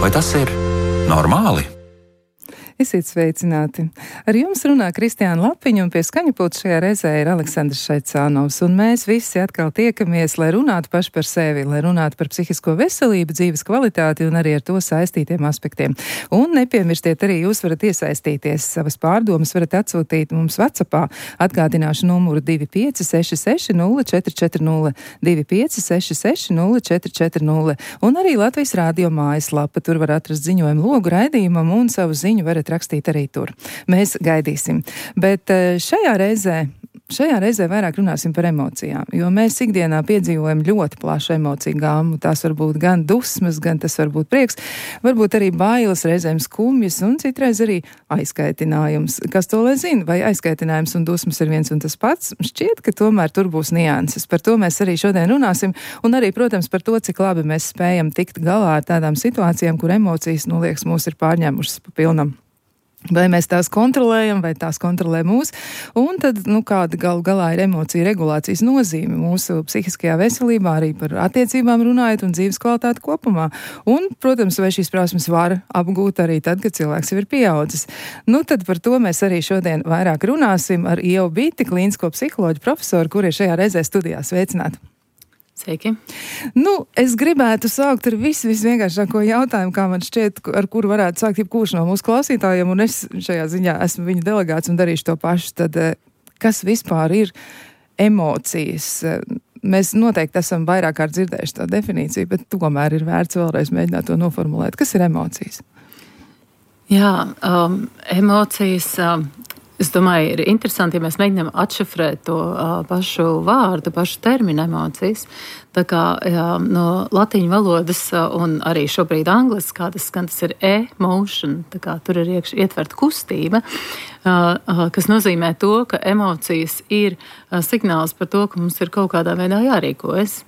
Vai tas ir normāli? Esiet sveicināti! Ar jums runā Kristiāna Lapiņa, un pie skaņapulta šajā reizē ir Aleksandrs Šaicānovs. Un mēs visi atkal tiekamies, lai runātu paši par sevi, lai runātu par psihisko veselību, dzīves kvalitāti un arī ar to saistītiem aspektiem. Un nepiemirstiet arī, jūs varat iesaistīties, savas pārdomas varat atsūtīt mums WhatsAppā. Atgādināšu numuru 2566 0440, 2566 0440. Un arī Latvijas Rādio mājaslapa, tur var atrast ziņojumu logu raidījumam un savu ziņu varat rakstīt arī tur. Mēs gaidīsim. Bet šajā reizē vairāk runāsim par emocijām, jo mēs ikdienā piedzīvojam ļoti plašu emociju gāmu. Tās var būt gan dusmas, gan tas var būt prieks, varbūt arī bailes, reizēm skumjas un citreiz arī aizkaitinājums. Kas to lai zina, vai aizkaitinājums un dusmas ir viens un tas pats? Šķiet, ka tomēr tur būs nianses. Par to mēs arī šodien runāsim un arī, protams, par to, cik labi mēs spējam tikt galā ar tādām situācijām, kur emocijas, liekas, mūs ir pārņēmušas pa pilnam. Vai mēs tās kontrolējam, vai tās kontrolē mūs, un tad, kāda galu galā ir emocija regulācijas nozīme mūsu psihiskajā veselībā, arī par attiecībām runājot un dzīves kvalitāti kopumā. Un, protams, vai šīs prasmes var apgūt arī tad, kad cilvēks jau ir pieaudzis. Tad par to mēs arī šodien vairāk runāsim ar Ievu Biti, klīnisko psiholoģu profesoru, kur ir šajā reizē studijā. Sveicināti! Sveiki. Es gribētu sākt ar visvienkāršāko jautājumu, kā man šķiet, ar kuru varētu sākt jebkurš no mūsu klausītājiem, un es šajā ziņā esmu viņa delegāts un darīšu to pašu. Tad, kas vispār ir emocijas? Mēs noteikti esam vairāk kārt dzirdējuši to definīciju, bet tomēr ir vērts vēlreiz mēģināt to noformulēt. Kas ir emocijas? Jā, emocijas... Es domāju, ir interesanti, ja mēs mēģinām atšifrēt to pašu vārdu, pašu terminu emocijas. Tā kā no latīņu valodas un arī šobrīd angliski, tas ir emotion, tā kā tur ir ietverta kustība, kas nozīmē to, ka emocijas ir signāls par to, ka mums ir kaut kādā veidā jārīkojas.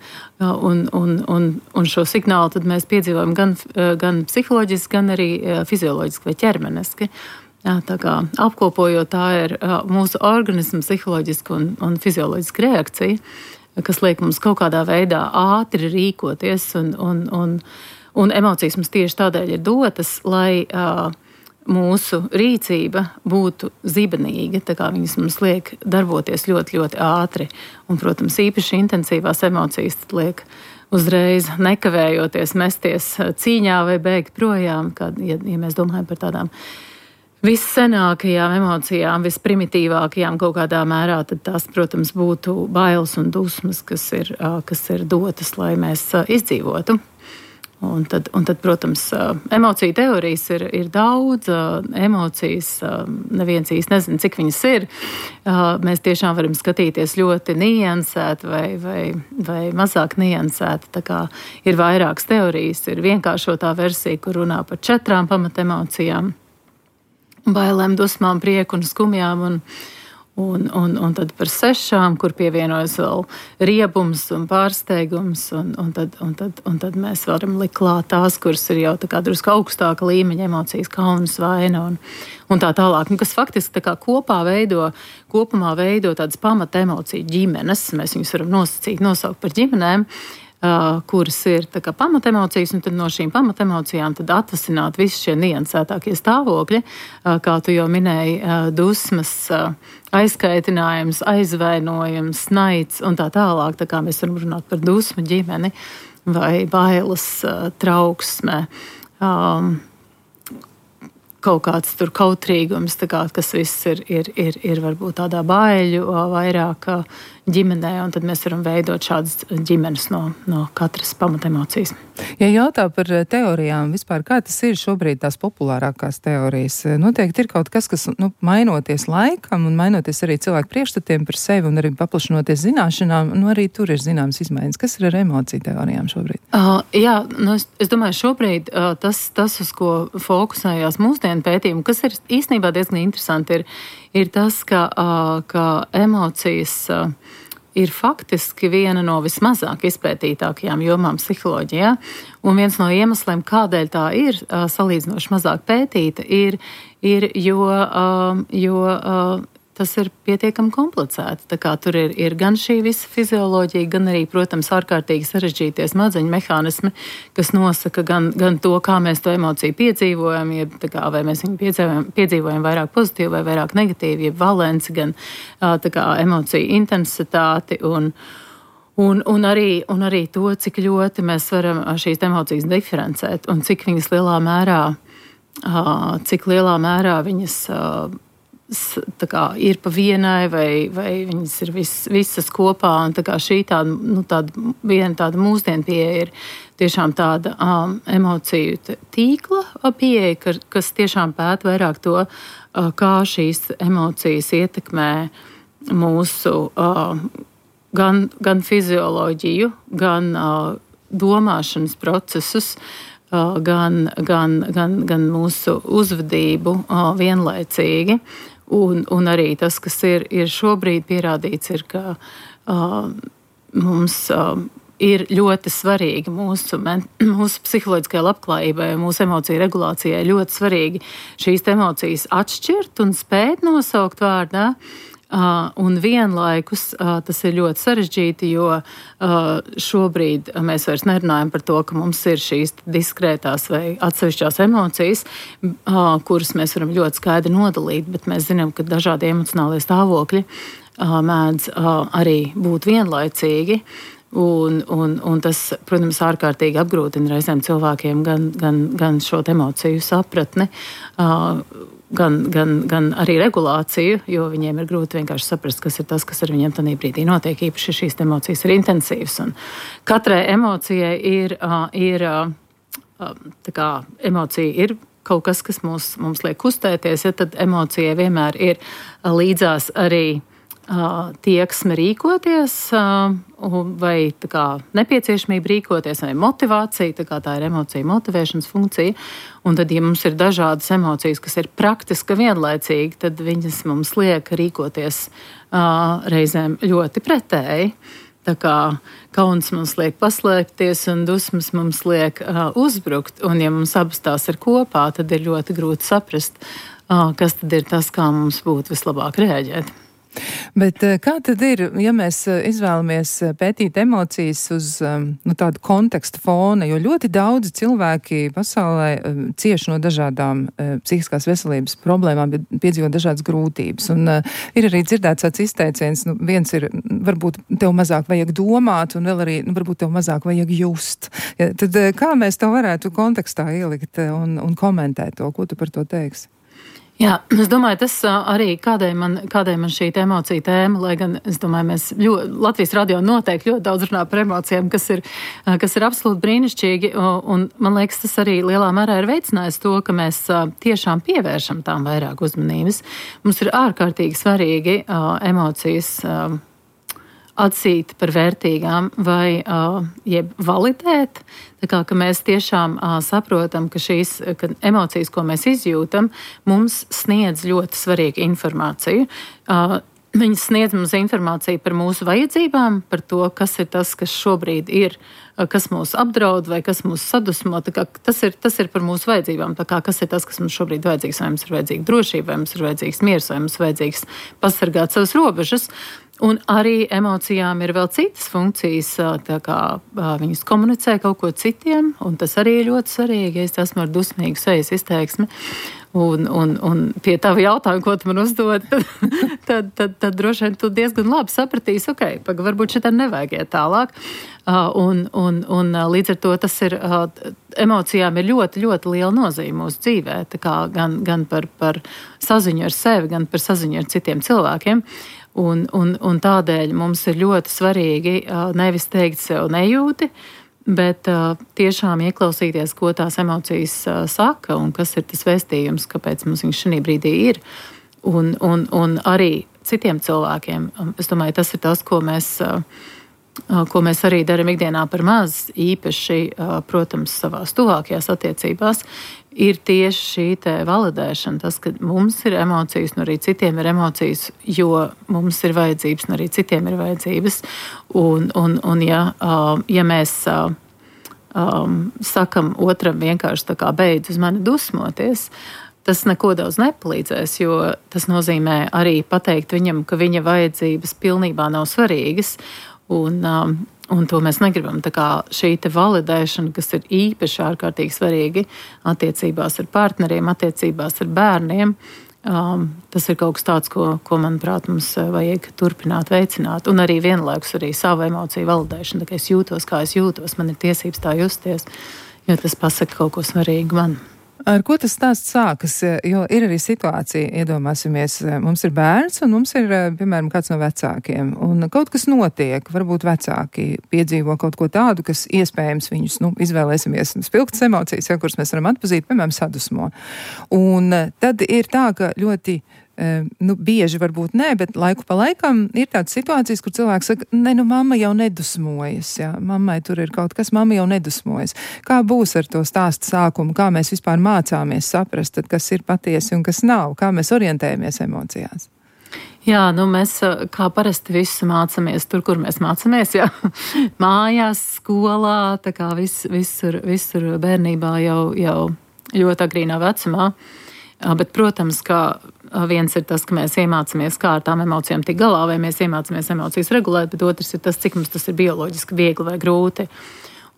Un šo signālu tad mēs piedzīvojam gan psiholoģiski, gan arī fizioloģiski vai ķermeniski. Tā kā apkopojot, tā ir mūsu organisma psiholoģiska un fizioloģiska reakcija, kas liek mums kaut kādā veidā ātri rīkoties, un emocijas mums tieši tādēļ ir dotas, lai mūsu rīcība būtu zibenīga, tā kā viņas mums liek darboties ļoti, ļoti ātri. Un, protams, īpaši intensīvās emocijas liek uzreiz nekavējoties mesties cīņā vai bēgt projām, ja mēs domājam par tādām vissenākajām emocijām, visprimitīvākajām kaut kādā mērā, tad tās, protams, būtu bailes un dusmas, kas ir dotas, lai mēs izdzīvotu. Un tad, protams, emociju teorijas ir daudz, emocijas, neviens īsti nezina, cik viņas ir. Mēs tiešām varam skatīties ļoti niansēti vai mazāk niansēti. Tā kā ir vairākas teorijas, ir vienkāršotā versija, kur runā par 4 pamatemocijām. Bailēm, dusmām, prieku un skumjām, un tad par 6, kur pievienojas vēl riebums un pārsteigums, un tad mēs varam likt klāt tās, kuras ir jau tā kā drusku augstāka līmeņa emocijas, kauns, vaina un tā tālāk, kas faktiski tā kā kopumā veido tādas pamata emociju ģimenes. Mēs viņus varam nosaukt par ģimenēm, kuras ir tā kā pamatemocijas, un tad no šīm pamatemocijām tad atvasināt visi šie niansētākie stāvokļi, kā tu jau minēji, dusmas, aizkaitinājums, aizvainojums, naids un tā tālāk. Tā kā mēs varam runāt par dusmu ģimeni vai bailes, trauksme, kaut kāds tur kautrīgums, tā kā, kas viss ir varbūt tādā baiļu vairāk ģimenē, un tad mēs varam veidot šādas ģimenes no katras pamatemocijas. Ja jautā par teorijām vispār, kā tas ir šobrīd tās populārākās teorijas? Noteikti ir kaut kas, mainoties laikam un mainoties arī cilvēku priekšstatiem par sevi un arī paplašinoties zināšanām, arī tur ir zināmas izmaiņas. Kas ir ar emociju teorijām šobrīd? Es domāju, šobrīd tas, uz ko fokusējās mūsdienu pētījumi, kas ir īstenībā diezgan interesanti, ir tas, ka emocijas ir faktiski viena no vismazāk izpētītākajām jomām psiholoģijā. Un viens no iemesliem, kādēļ tā ir salīdzinoši mazāk pētīta, ir jo tas ir pietiekami komplicēti. Tā kā tur ir gan šī visa fizioloģija, gan arī, protams, ārkārtīgi sarežģītie smadzeņu mehānismi, kas nosaka gan to, kā mēs to emociju piedzīvojam, jeb tā kā vai mēs viņu piedzīvojam vairāk pozitīvi vai vairāk negatīvi, jeb valenci, gan tā kā emociju intensitāti un arī to, cik ļoti mēs varam šīs emocijas diferencēt un cik viņas lielā mērā viņas tā kā ir pa vienai vai viņas ir visas kopā. Un tā kā šī viena tāda mūsdienu pieeja ir tiešām tāda emociju tīkla pieeja, kas tiešām pēta vairāk to, kā šīs emocijas ietekmē mūsu gan fizioloģiju, gan domāšanas procesus, gan mūsu uzvedību vienlaicīgi. Un arī tas, kas ir šobrīd pierādīts, ir, ka mums ir ļoti svarīgi mūsu psiholoģiskajai labklājībai, mūsu emociju regulācijai ļoti svarīgi šīs emocijas atšķirt un spēt nosaukt vārdā. Un vienlaikus tas ir ļoti sarežģīti, jo šobrīd mēs vairs nerunājam par to, ka mums ir šīs diskrētās vai atsevišķās emocijas, kuras mēs varam ļoti skaidri nodalīt, bet mēs zinām, ka dažādi emocionālie stāvokļi mēdz arī būt vienlaicīgi. Un tas, protams, ārkārtīgi apgrūtina reizēm cilvēkiem gan šo emociju sapratni, gan arī regulāciju, jo viņiem ir grūti vienkārši saprast, kas ir tas, kas ar viņiem tajā brīdī notiek. Īpaši šīs emocijas ir intensīvas. Un katrai emocijai ir tā kā emocija ir kaut kas, kas mums liek kustēties, ja tad emocijai vienmēr ir līdzās arī tieksme rīkoties, vai tā kā nepieciešamība rīkoties, vai motivācija, tā ir emocija motivēšanas funkcija. Un tad, ja mums ir dažādas emocijas, kas ir praktiski vienlaicīgi, tad viņas mums liek rīkoties reizēm ļoti pretēji. Tā kā kauns mums liek paslēpties un dusmas mums liek uzbrukt. Un ja mums abas tās ir kopā, tad ir ļoti grūti saprast, kas tad ir tas, kā mums būtu vislabāk reaģēt. Bet kā tad ir, ja mēs izvēlamies pētīt emocijas uz tādu kontekstu fona, jo ļoti daudzi cilvēki pasaulē cieši no dažādām psihiskās veselības problēmām, piedzīvo dažādas grūtības. Un ir arī dzirdēts tāds izteiciens, viens ir, varbūt tev mazāk vajag domāt, un vēl arī, varbūt tev mazāk vajag just. Ja, tad kā mēs to varētu kontekstā ielikt un komentēt to, ko tu par to teiksi? Jā, es domāju, tas arī kādēļ man šī emocija tēma, lai gan es domāju, mēs Latvijas radio noteikti ļoti daudz runā par emocijām, kas ir absolūti brīnišķīgi, un man liekas, tas arī lielā mērā ir veicinājis to, ka mēs tiešām pievēršam tām vairāk uzmanības. Mums ir ārkārtīgi svarīgi emocijas atzīt par vērtīgām vai jeb validēt. Tā kā, ka mēs tiešām saprotam, ka šīs emocijas, ko mēs izjūtam, mums sniedz ļoti svarīgu informāciju. Viņas sniedz mums informāciju par mūsu vajadzībām, par to, kas ir tas, kas šobrīd ir, kas mūs apdraud vai kas mūs sadusmo. Tā kā, tas ir par mūsu vajadzībām. Tā kā, kas ir tas, kas mums šobrīd vajadzīgs? Vai mums ir vajadzīga drošība, vai mums ir vajadzīgs miers, vai mums ir vajadzīgs pasargāt savas robežas. Un arī emocijām ir vēl citas funkcijas, tā kā viņas komunicē kaut ko citiem, un tas arī ir ļoti svarīgi, ja es esmu ar dusmīgu sejas izteiksmi. Un pie tava jautājuma, ko tu man uzdod, tad droši vien tu diezgan labi sapratīsi, varbūt šitā nevajag iet tālāk. Un līdz ar to tas ir, emocijām ir ļoti, ļoti liela nozīme mūsu dzīvē, tā kā gan par saziņu ar sevi, gan par saziņu ar citiem cilvēkiem. Un tādēļ mums ir ļoti svarīgi nevis teikt sev nejūti, bet tiešām ieklausīties, ko tās emocijas saka un kas ir tas vēstījums, kāpēc mums viņš šī brīdī ir. Un arī citiem cilvēkiem. Es domāju, tas ir tas, ko mēs arī darām ikdienā par maz, īpaši, protams, savās tuvākajās attiecībās, ir tieši šī te validēšana, tas, ka mums ir emocijas, un arī citiem ir emocijas, jo mums ir vajadzības, un arī citiem ir vajadzības. Un ja mēs sakam otram vienkārši tā kā beidz uz mani dusmoties, tas neko daudz nepalīdzēs, jo tas nozīmē arī pateikt viņam, ka viņa vajadzības pilnībā nav svarīgas, un to mēs negribam. Tā kā šī te validēšana, kas ir īpaši ārkārtīgi svarīgi attiecībās ar partneriem, attiecībās ar bērniem, tas ir kaut kas tāds, ko manuprāt, mums vajag turpināt veicināt. Un arī vienlaikus arī savu emociju validēšanu. Tā kā es jūtos, kā es jūtos, man ir tiesības tā justies, jo tas pasaka kaut ko svarīgu man. Ar ko tas stāsts sākas? Jo ir arī situācija, iedomāsimies, mums ir bērns un mums ir, piemēram, kāds no vecākiem. Un kaut kas notiek, varbūt vecāki piedzīvo kaut ko tādu, kas iespējams viņus, izvēlēsimies spilgtas emocijas, kuras mēs varam atpazīt, piemēram, sadusmo. Un tad ir tā, ka ļoti bieži varbūt nē, bet laiku pa laikam ir tādas situācijas, kur cilvēks saka, mamma jau nedusmojas, jā, mammai tur ir kaut kas, mamma jau nedusmojas. Kā būs ar to stāstu sākumu, kā mēs vispār mācāmies saprast, tad, kas ir patiesi un kas nav, kā mēs orientējamies emocijās? Jā, mēs kā parasti visu mācāmies tur, kur mēs mācāmies, jā. Mājās, skolā, tā kā visur bērnībā jau ļoti agrīnā vecumā. Bet, protams, ka viens ir tas, ka mēs iemācāmies, kā ar tām emocijām tik galā, vai mēs iemācāmies emocijas regulēt, bet otrs ir tas, cik mums tas ir bioloģiski viegli vai grūti.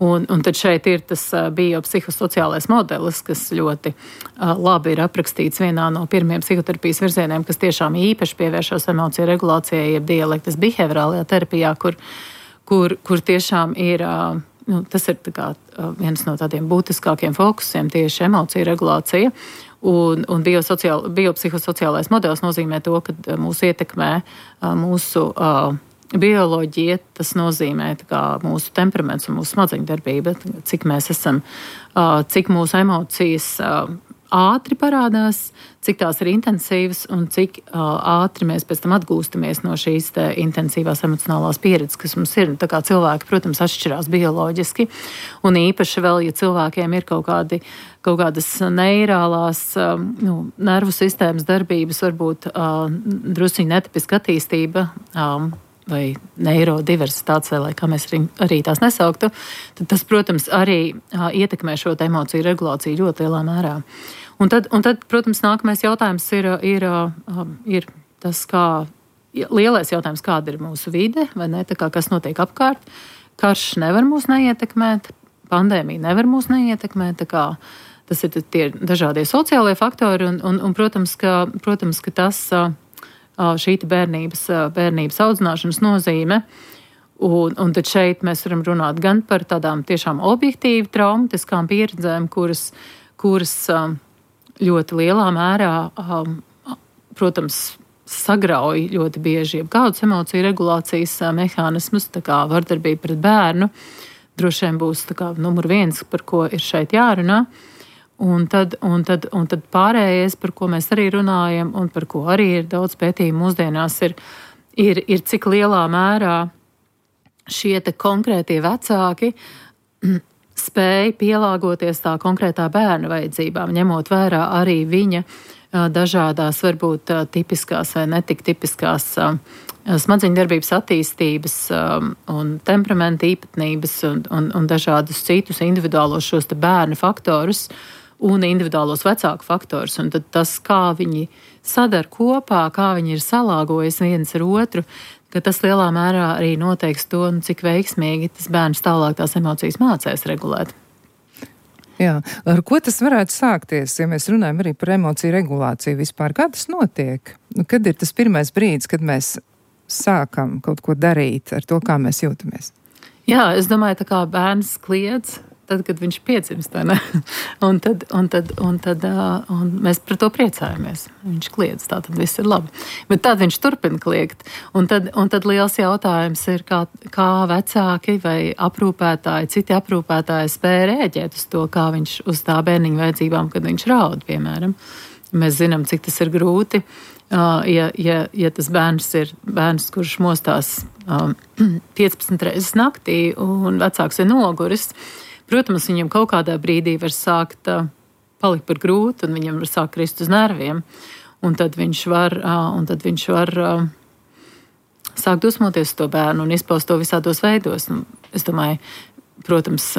Un tad šeit ir tas biopsihosociālais modelis, kas ļoti labi ir aprakstīts vienā no pirmiem psihoterapijas virzieniem, kas tiešām īpaši pievēršas emociju regulācijai, jeb dialektas behaviorālajā terapijā, kur tiešām ir, tas ir tā kā viens no tādiem būtiskākiem fokusiem tieši emociju regulācija. Un biopsihosociālais modelis nozīmē to, ka mūs ietekmē mūsu bioloģija, tas nozīmē mūsu temperaments un mūsu smadzeņu darbība, cik mēs esam, cik mūsu emocijas ātri parādās, cik tās ir intensīvas un cik ātri mēs pēc tam atgūstamies no šīs intensīvās emocionālās pieredzes, kas mums ir. Tā kā cilvēki, protams, atšķirās bioloģiski, un īpaši vēl, ja cilvēkiem ir kaut kādas neirālās nervu sistēmas darbības, varbūt drusciņi netipiska attīstība, vai neirodiversitātes, vai kā mēs arī tās nesauktu, tad tas, protams, arī ietekmē šo emociju regulāciju ļoti lielā mērā. Un tad, protams, nākamais jautājums ir tas, lielais jautājums, kāda ir mūsu vide, vai ne, tā kā kas notiek apkārt. Karš nevar mūs neietekmēt, pandēmija nevar mūs neietekmēt, tā kā tas ir tie dažādie sociālie faktori, un protams, ka tas šī bērnības audzināšanas nozīme. Un tad šeit mēs varam runāt gan par tādām tiešām objektīvi traumatiskām pieredzēm, kuras ļoti lielā mērā, protams, sagrauj ļoti bieži jebkādus emociju regulācijas mehānismus, tā kā vardarbība pret bērnu, droši vien būs tā kā numur 1, par ko ir šeit jārunā. Un tad pārējais, par ko mēs arī runājam, un par ko arī ir daudz pētījumu mūsdienās, ir cik lielā mērā šie te konkrētie vecāki spēja pielāgoties tā konkrētā bērna vajadzībām, ņemot vērā arī viņa dažādās, varbūt tipiskās vai netik tipiskās smadzeņu darbības attīstības un temperamenta īpatnības un dažādus citus individuālos šos te bērnu faktorus un individuālos vecāku faktorus. Un tad tas, kā viņi sadar kopā, kā viņi ir salāgojis viens ar otru, ka tas lielā mērā arī noteiks to, cik veiksmīgi tas bērns tālāk tās emocijas mācēs regulēt. Jā, ar ko tas varētu sākties, ja mēs runājam arī par emociju regulāciju vispār? Kā tas notiek? Kad ir tas pirmais brīdis, kad mēs sākam kaut ko darīt ar to, kā mēs jūtamies? Jā, es domāju, tā kā bērns kliedz, tad, kad viņš piedzimst, vai ne? Un mēs par to priecājamies. Viņš kliedz, tā tad viss ir labi. Bet tad viņš turpina kliegt. Un tad liels jautājums ir, kā vecāki vai aprūpētāji, citi aprūpētāji spēja rēģēt uz to, kā viņš uz tā bērniņa vajadzībām, kad viņš raud, piemēram. Mēs zinām, cik tas ir grūti. Ja tas bērns ir bērns, kurš mostās 15 reizes naktī un vecāks ir noguris, protams, viņam kaut kādā brīdī var sākt palikt par grūti un viņam var sākt krist uz nerviem. Un tad viņš var sākt dusmoties uz to bērnu un izpaust to visādos veidos. Es domāju, protams,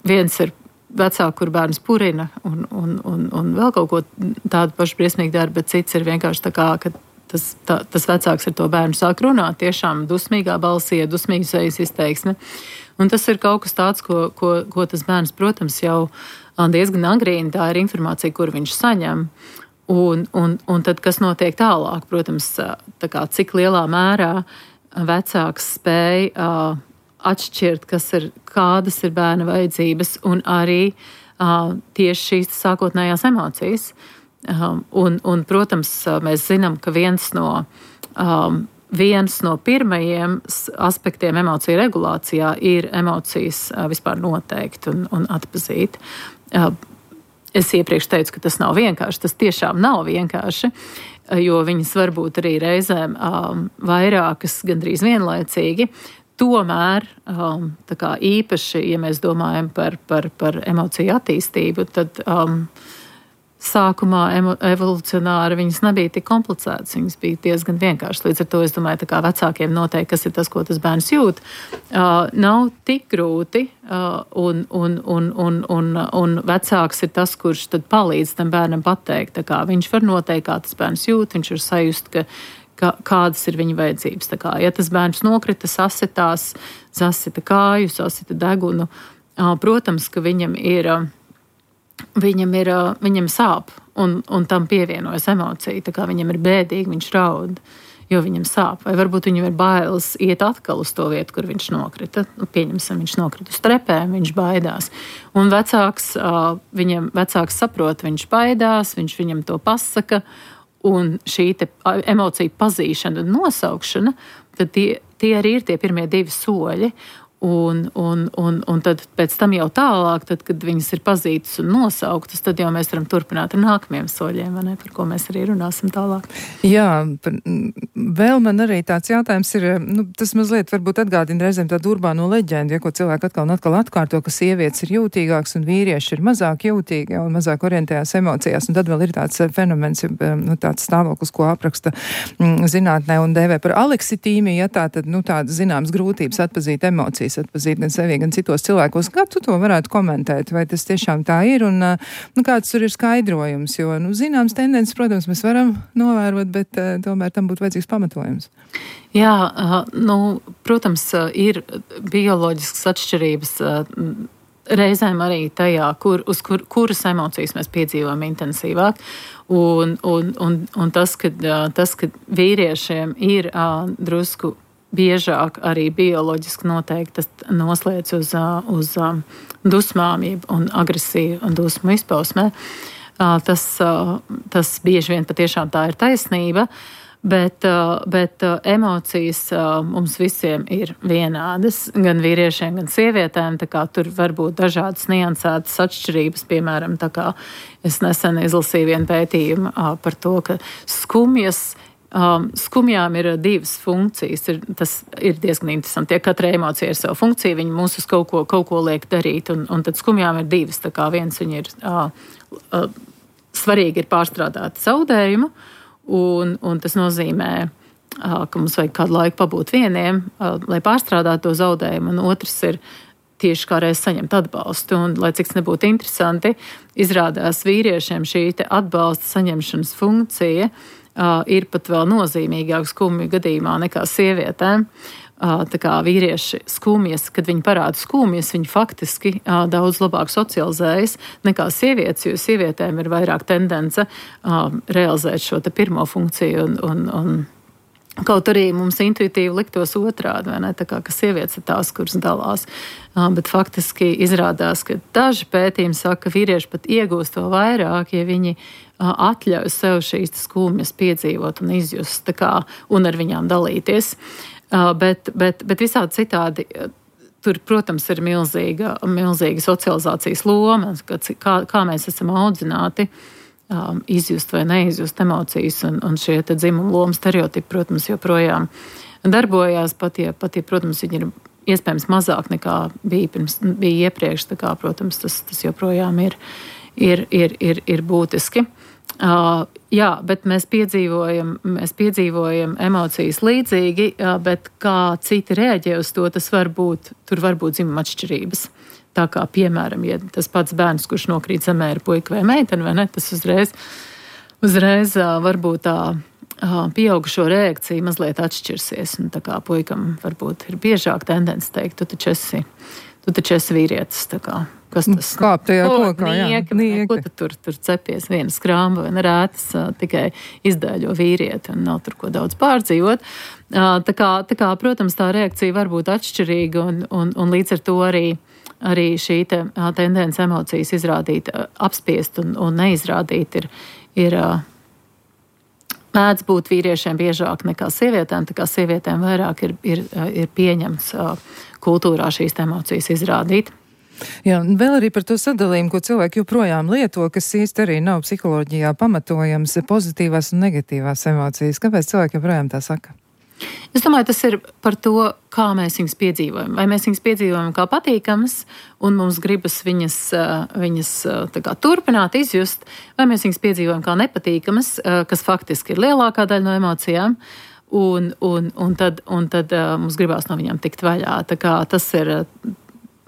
viens ir vecāki, kur bērns purina un vēl kaut ko tādu pašu briesmīgi dara, bet cits ir vienkārši tā kā, ka tas vecāks ar to bērnu sāk runāt, tiešām dusmīgā balsī, dusmīgu sejas izteiksme. Un tas ir kaut kas tāds, ko tas bērns, protams, jau diezgan agrīni, tā ir informācija, kur viņš saņem. Un tad, kas notiek tālāk, protams, tā kā cik lielā mērā vecāks spēja atšķirt, kādas ir bērna vajadzības un arī tieši šīs sākotnējās emocijas. Un, protams, mēs zinām, ka viens no pirmajiem aspektiem emociju regulācijā ir emocijas vispār noteikt un atpazīt. Es iepriekš teicu, ka tas nav vienkārši. Tas tiešām nav vienkārši, jo viņas var būt arī reizēm vairākas gandrīz vienlaicīgi. Tomēr, tā kā īpaši, ja mēs domājam par emociju attīstību, tad sākumā evolucionāri viņas nebija tik komplicētas, viņas bija diezgan vienkāršas. Līdz ar to es domāju, tā kā vecākiem noteikti, kas ir tas, ko tas bērns jūt, nav tik grūti, un vecāks ir tas, kurš tad palīdz tam bērnam pateikt. Tā kā viņš var noteikt, kā tas bērns jūt, viņš var sajust, kādas ir viņa vajadzības. Tā kā, ja tas bērns nokrita, sasitās, sasita kāju, sasita degunu, protams, ka viņam sāp, un tam pievienojas emocija. Tā kā viņam ir bēdīgi, viņš raud, jo viņam sāp. Vai varbūt viņam ir bailes iet atkal uz to vietu, kur viņš nokrita. Pieņemsim, viņš nokrita uz trepēm, viņš baidās. Un vecāks saprot, viņš baidās, viņš viņam to pasaka, un šī emocija pazīšana un nosaukšana, tad tie arī ir tie pirmie 2 soļi. Un tad pēc tam jau tālāk, tad, kad viņas ir pazītas un nosauktas, tad jau mēs varam turpināt ar nākamajiem soļiem, vai ne, par ko mēs arī runāsim tālāk. Jā, vēl man arī tāds jautājums ir, tas mazliet varbūt atgādina reizēm tādu urbāno leģendu, ja ko cilvēki atkal un atkal atkārto, ka sievietes ir jūtīgāks un vīrieši ir mazāk jūtīgi un mazāk orientējās emocijās. Un tad vēl ir tāds fenomens, tāds stāvoklis, ko apraksta zinātnē un dēvē par aleksitīmiju, ja tātad, tādas zināmas grūtības atpazīt emocijas, atpazīt gan sevi, gan citos cilvēkos. Kā tu to varētu komentēt? Vai tas tiešām tā ir? Un kāds tur ir skaidrojums? Jo, zināms tendences, protams, mēs varam novērot, bet tomēr tam būtu vajadzīgs pamatojums. Jā, protams, ir bioloģiskas atšķirības reizēm arī tajā, kuras emocijas mēs piedzīvojam intensīvāk. Un tas, ka vīriešiem ir drusku biežāk arī bioloģiski noteikti tas noslēdz uz dusmām un agresiju un dusmu izpausmē. Tas bieži vien patiešām tā ir taisnība, bet emocijas mums visiem ir vienādas, gan vīriešiem, gan sievietēm, tā kā tur var būt dažādas niansētas atšķirības, piemēram, tā kā es nesen izlasīju vienu pētījumu par to, ka skumjām ir 2 funkcijas. Tas ir diezgan interesanti. Ja katra emocija ir savu funkciju, viņi mūs uz kaut ko liek darīt, un tad skumjām ir 2. Tā kā viens viņi ir svarīgi ir pārstrādāt zaudējumu, un tas nozīmē, ka mums vajag kādu laiku pabūt vieniem, lai pārstrādātu to zaudējumu, un otrs ir tieši kā reiz saņemt atbalstu. Un, lai cik nebūtu interesanti, izrādās vīriešiem šī atbalsta saņemšanas funkcija ir pat vēl nozīmīgāk skumju gadījumā nekā sievietēm. Tā kā vīrieši skumjas, kad viņi parāda skumjas, viņi faktiski daudz labāk socializējas nekā sievietes, jo sievietēm ir vairāk tendence realizēt šo te pirmo funkciju un kaut arī mums intuitīvi liktos otrādi, vai ne? Tā kā, ka sievietes ir tās, kuras dalās. Bet faktiski izrādās, ka daži pētījumi saka, ka vīrieši pat iegūst to vairāk, ja viņi atļauj sev šīs skumjas piedzīvot un izjust, tā kā, un ar viņām dalīties. Bet visādi citādi tur, protams, ir milzīga socializācijas loma, kā mēs esam audzināti izjust vai neizjust emocijas, un šie te dzimumu lomu stereotipi, protams, joprojām darbojās, pat ja, protams, viņi ir iespējams mazāk nekā bija iepriekš, tā kā, protams, tas joprojām ir būtiski. Jā, bet mēs piedzīvojam emocijas līdzīgi, bet kā citi reaģē uz to, tur var būt dzimuma atšķirības. Tā kā, piemēram, ja tas pats bērns, kurš nokrīt zemē, ir puika vai meitene, vai ne, tas uzreiz varbūt tā pieaugušo reakcija mazliet atšķirsies. Un tā kā puikam varbūt ir biežāk tendence teikt, tu taču esi vīrietis, tā kā. Kas tas? Kāp tajā kokā, nieki. Ko tu tur cepies viena skrāmba vai nerētas, tikai izdēļo vīrieti un nav tur ko daudz pārdzīvot. Tā kā, protams, tā reakcija var būt atšķirīga un līdz ar to arī šī tendence emocijas izrādīt, apspiest un neizrādīt ir mēdz būt vīriešiem biežāk nekā sievietēm, tā kā sievietēm vairāk ir pieņemts kultūrā šīs emocijas izrādīt. Jā, vēl arī par to sadalījumu, ko cilvēki joprojām lieto, kas īsti arī nav psiholoģijā pamatojams, pozitīvās un negatīvās emocijas. Kāpēc cilvēki joprojām tā saka? Es domāju, tas ir par to, kā mēs viņus piedzīvojam. Vai mēs viņus piedzīvojam kā patīkamas, un mums gribas viņas tā kā turpināt, izjust, vai mēs viņus piedzīvojam kā nepatīkamas, kas faktiski ir lielākā daļa no emocijām, un tad mums gribās no viņām tikt vaļā. Tā kā tas ir,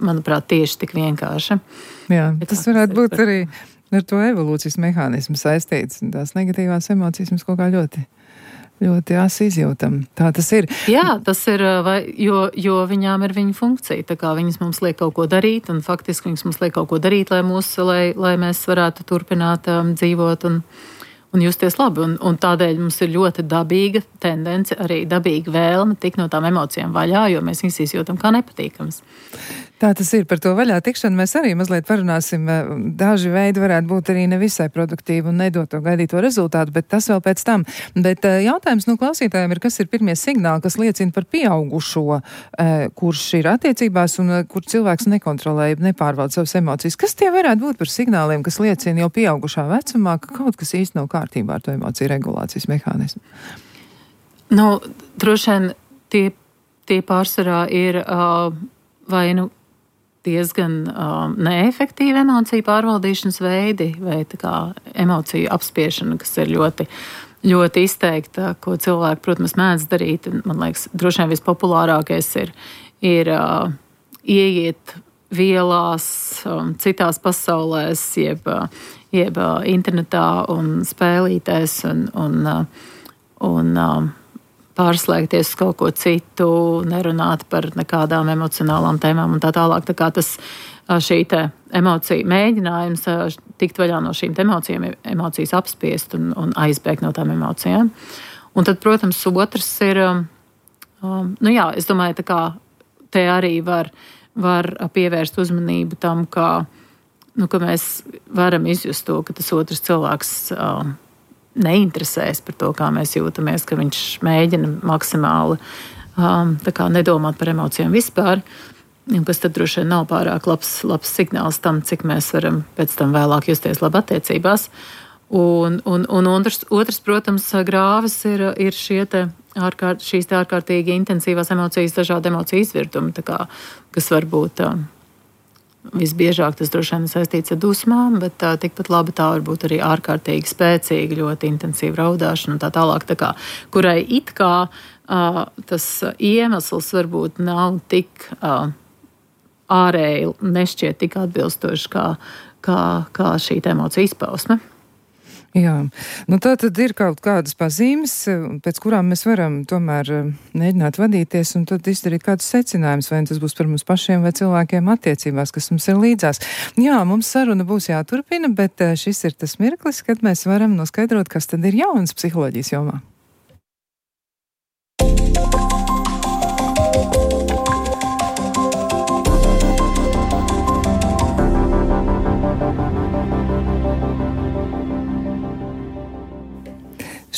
manuprāt, tieši tik vienkārši. Jā, tas varētu būt arī ar to evolūcijas mehānismu saistīts. Tās negatīvās emocijas mums kaut kā ļoti asi izjūtam. Tā tas ir. Jā, tas ir, jo viņām ir viņa funkcija. Tā kā viņas mums liek kaut ko darīt, un faktiski viņas mums liek kaut ko darīt, lai mēs varētu turpināt dzīvot un justies labi. Un tādēļ mums ir ļoti dabīga tendence, arī dabīga vēlme tikt no tām emocijām vaļā, jo mēs viņas izjūtam kā nepatīkamas. Tā tas ir. Par to vaļā tikšanu mēs arī mazliet parunāsim. Daži veidi varētu būt arī nevisai produktīvi un nedot to gaidīto rezultātu, bet tas vēl pēc tam. Bet jautājums no klausītājiem ir, kas ir pirmie signāli, kas liecina par pieaugušo, kurš ir attiecībās un kur cilvēks nekontrolē, nepārvalda savas emocijas. Kas tie varētu būt par signāliem, kas liecina jau pieaugušā vecumā, ka kaut kas īsti nav kārtībā ar to emociju regulācijas mehānismu? Droši vien tie pārsvarā ir vai diezgan neefektīvi emociju pārvaldīšanas veidi, vai tā kā emociju apspiešana, kas ir ļoti, ļoti izteikta, ko cilvēki, protams, mēdz darīt. Man liekas, droši vien vispopulārākais ir ieiet vielās, citās pasaulēs, jeb internetā un spēlītēs un pārslēgties uz kaut ko citu, nerunāt par nekādām emocionālām tēmām un tā tālāk. Tā kā šī emocija mēģinājums tikt vaļā no šīm emocijām, emocijas apspiest un aizbēgt no tām emocijām. Un tad, protams, otrs ir, es domāju, tā kā te arī var pievērst uzmanību tam, ka mēs varam izjust to, ka tas otrs cilvēks neinteresēs par to, kā mēs jūtamies, ka viņš mēģina maksimāli nedomāt par emocijām vispār, kas tad droši vien nav pārāk labs signāls tam, cik mēs varam pēc tam vēlāk justies labi attiecībās. Un otrs, protams, grāvis ir šīs ārkārtīgi intensīvās emocijas, dažādi emociju izvirdumi, kas var būt visbiežāk tas droši vien saistīts ar dusmām, bet tikpat labi tā var būt arī ārkārtīgi spēcīga, ļoti intensīva raudāšana un tā tālāk, kurai it kā tas iemesls varbūt nav tik ārēji, nešķiet tik atbilstoši kā šī emocija izpausme. Jā, tā tad ir kaut kādas pazīmes, pēc kurām mēs varam tomēr mēģināt vadīties un tad izdarīt kādus secinājumus, vai tas būs par mums pašiem vai cilvēkiem attiecībās, kas mums ir līdzās. Jā, mums saruna būs jāturpina, bet šis ir tas mirklis, kad mēs varam noskaidrot, kas tad ir jauns psiholoģijas jomā.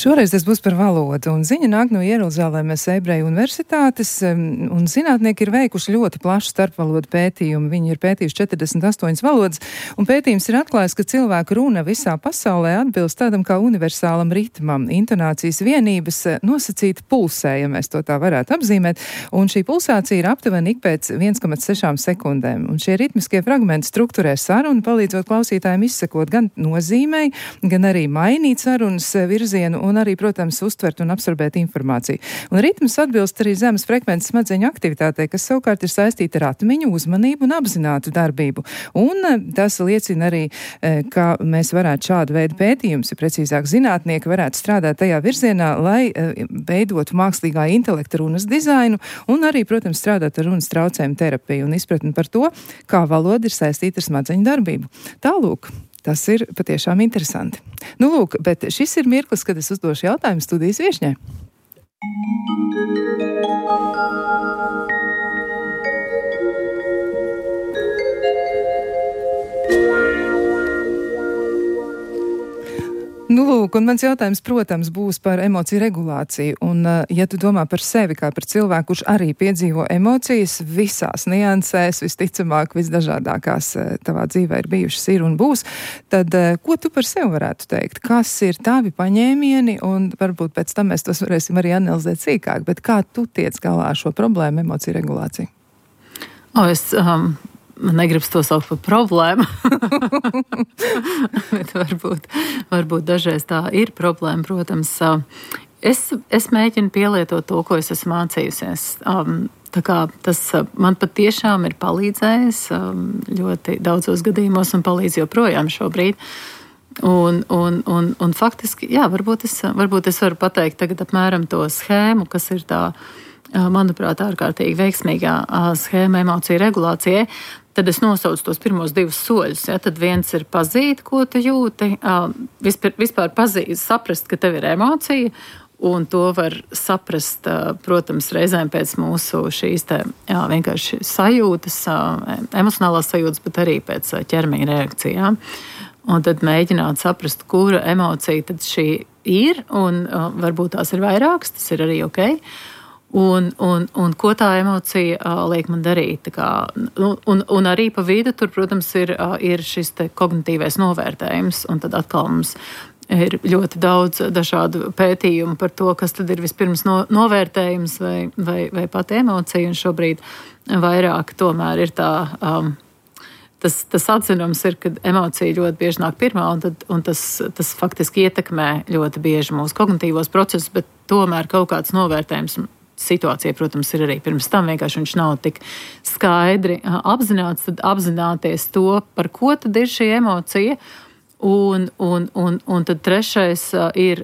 Šoreiz tas būs par valodu, un ziņa nāk no Jeruzalemes Ebreju universitātes, un zinātnieki ir veikuši ļoti plašu starpvalodu pētījumu. Viņi ir pētījuši 48 valodas, un pētījums ir atklājis, ka cilvēku runa visā pasaulē atbilst tādam kā universālam ritmam. Intonācijas vienības nosacīta pulsē, ja mēs to tā varētu apzīmēt, un šī pulsācija ir aptuveni ik pēc 1,6 sekundēm. Un šie ritmiskie fragmenti strukturē sarunu, palīdzot klausītājiem izsekot gan nozīmei, gan arī mainīt sarunas virzienu, un arī, protams, uztvert un absorbēt informāciju. Un ritms atbilst arī zemes frekvences smadzeņu aktivitātei, kas savukārt ir saistīta ar atmiņu, uzmanību un apzinātu darbību. Un tas liecina arī, ka mēs varētu šādu veidu pētījumus, ja precīzāk zinātnieki varētu strādāt tajā virzienā, lai veidotu mākslīgā intelekta runas dizainu un arī, protams, strādāt ar runas traucējumu terapiju un izpratni par to, kā valoda ir saistīta ar smadzeņu darbību. Tālūk. Tas ir patiešām interesanti. Nu, lūk, bet šis ir mirklis, kad es uzdošu jautājumu studijas viešņai. Nu, lūk, un mans jautājums, protams, būs par emociju regulāciju. Un, ja tu domā par sevi kā par cilvēku, kurš arī piedzīvo emocijas visās niansēs, visticamāk, visdažādākās tavā dzīvē ir bijušas, ir un būs, tad ko tu par sevi varētu teikt? Kas ir tavi paņēmieni? Un varbūt pēc tam mēs tos varēsim arī analizēt sīkāk. Bet kā tu tiec galā ar šo problēmu, emociju regulāciju? Man negribas to saukt par problēmu, bet varbūt dažreiz tā ir problēma, protams. Es mēģinu pielietot to, ko es esmu mācījusies. Tā kā tas man patiešām ir palīdzējis ļoti daudzos gadījumos un palīdz joprojām šobrīd. Un faktiski, jā, varbūt es varu pateikt tagad apmēram to schēmu, kas ir tā, manuprāt, ārkārtīgi veiksmīgā schēma emociju regulācijai. Tad es nosaucu tos pirmos 2 soļus. Ja? Tad viens ir pazīt, ko tu jūti. Vispār pazīt, saprast, ka tev ir emocija, un to var saprast, protams, reizēm pēc mūsu šīs vienkārši sajūtas, emocionālās sajūtas, bet arī pēc ķermeņa reakcijām. Un tad mēģināt saprast, kura emocija tad šī ir, un varbūt tās ir vairākas, tas ir arī ok. Un ko tā emocija liek man darīt. Un arī pa vidu tur, protams, ir šis kognitīvais novērtējums. Un tad atkal mums ir ļoti daudz dažādu pētījumu par to, kas tad ir vispirms novērtējums vai pat emocija. Un šobrīd vairāk tomēr ir tā... Tas atzinums ir, ka emocija ļoti bieži nāk pirmā, un tas faktiski ietekmē ļoti bieži mūsu kognitīvos procesus, bet tomēr kaut kāds novērtējums situācija, protams, ir arī pirms tam, vienkārši viņš nav tik skaidri apzināts, tad apzināties to, par ko tad ir šī emocija, un tad trešais ir,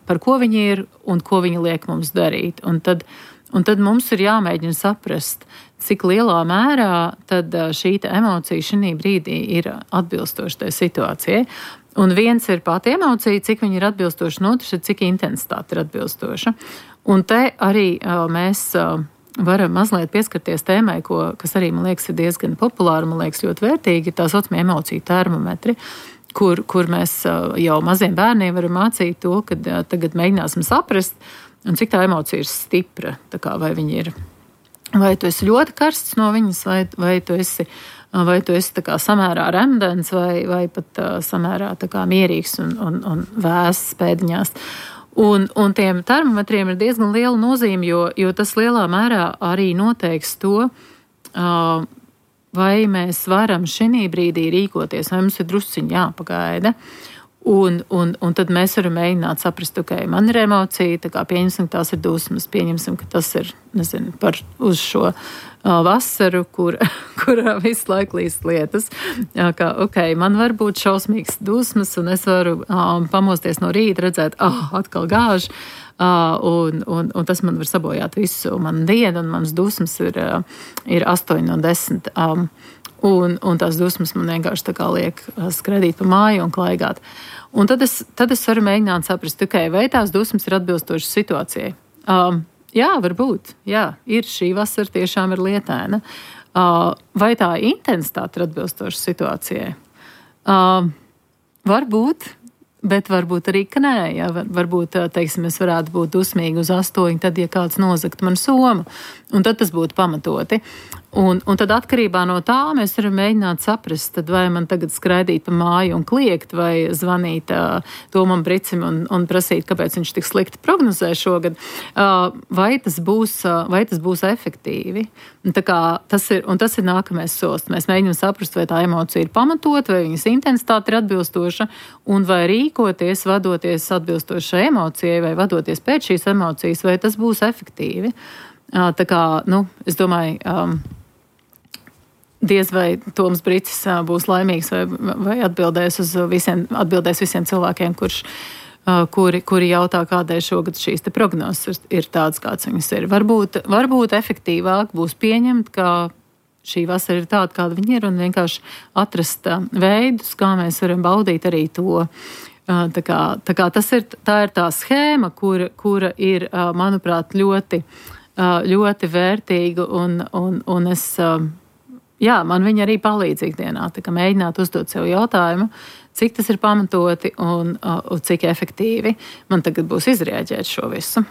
par ko viņi ir un ko viņi liek mums darīt. Un tad mums ir jāmēģina saprast, cik lielā mērā tad šī emocija šī brīdī ir atbilstoša tai situācijai. Un viens ir pati emocija, cik viņa ir atbilstoša, un otrs ir, cik intensitāte ir atbilstoša. Un te arī mēs varam mazliet pieskarties tēmai, kas arī, man liekas, ir diezgan populāra, man liekas, ļoti vērtīgi, ir tā saucamie emociju termometri, kur mēs jau maziem bērniem varam mācīt to, ka tagad mēģināsim saprast, un cik tā emocija ir stipra, tā kā vai viņa ir, vai tu esi ļoti karsts no viņas, vai tu esi tā kā samērā remdens, vai pat samērā tā kā mierīgs un vēss pēdiņās. Un tiem termometriem ir diezgan liela nozīme, jo tas lielā mērā arī noteiks to, vai mēs varam šī brīdī rīkoties, vai mums ir drusciņi jāpagaida. Un tad mēs varam mēģināt saprast, ka man ir emocija, tā kā pieņemsim, ka tās ir dusmas, pieņemsim, ka tas ir, nezinu, uz šo vasaru, kurā visu laiku līst lietas. Ka, man var būt šausmīgs dusmas, un es varu pamosties no rīta, redzēt, atkal gāž, un tas man var sabojāt visu manu dienu, un manas dusmas ir 8 no 10. Un tās dusmas man vienkārši tā kā liek skraidīt pa māju un klaigāt. Un tad es varu mēģināt saprast, vai tās dusmas ir atbilstošas situācijai. Jā, varbūt. Jā, ir šī vasara tiešām ir lietaina. Vai tā intensitāte ir atbilstoša situācijai? Varbūt. bet varbūt arī, ka nē. Ja? Varbūt, teiksim, es varētu būt dusmīgi uz 8, tad, ja kāds nozagt man somu, un tad tas būtu pamatoti. Un tad atkarībā no tā mēs varam mēģināt saprast, tad vai man tagad skraidīt pa māju un kliegt, vai zvanīt Tomam Bricim un prasīt, kāpēc viņš tik slikti prognozē šogad, vai tas būs efektīvi. Tas ir nākamais solis. Mēs mēģinām saprast, vai tā emocija ir pamatot, vai viņas intensitāte ir atbilstoša, un vai rīkoties, vadoties atbilstoši šai emocijai, vai vadoties pēc šīs emocijas, vai tas būs efektīvi. Es domāju, diez vai Toms Bricis būs laimīgs vai atbildēs visiem cilvēkiem, kuri jautā, kādēļ šogad šīs te prognozes ir tādas, kāds viņas ir. Varbūt efektīvāk būs pieņemt, ka šī vasara ir tāda, kāda viņa ir, un vienkārši atrast veidus, kā mēs varam baudīt arī to. Tā ir tā schēma, kura ir, manuprāt, ļoti vērtīga, un es... Jā, man viņa arī palīdz ikdienā, tā kā mēģināt uzdot sev jautājumu, cik tas ir pamatoti un cik efektīvi man tagad būs izrēģēt šo visu.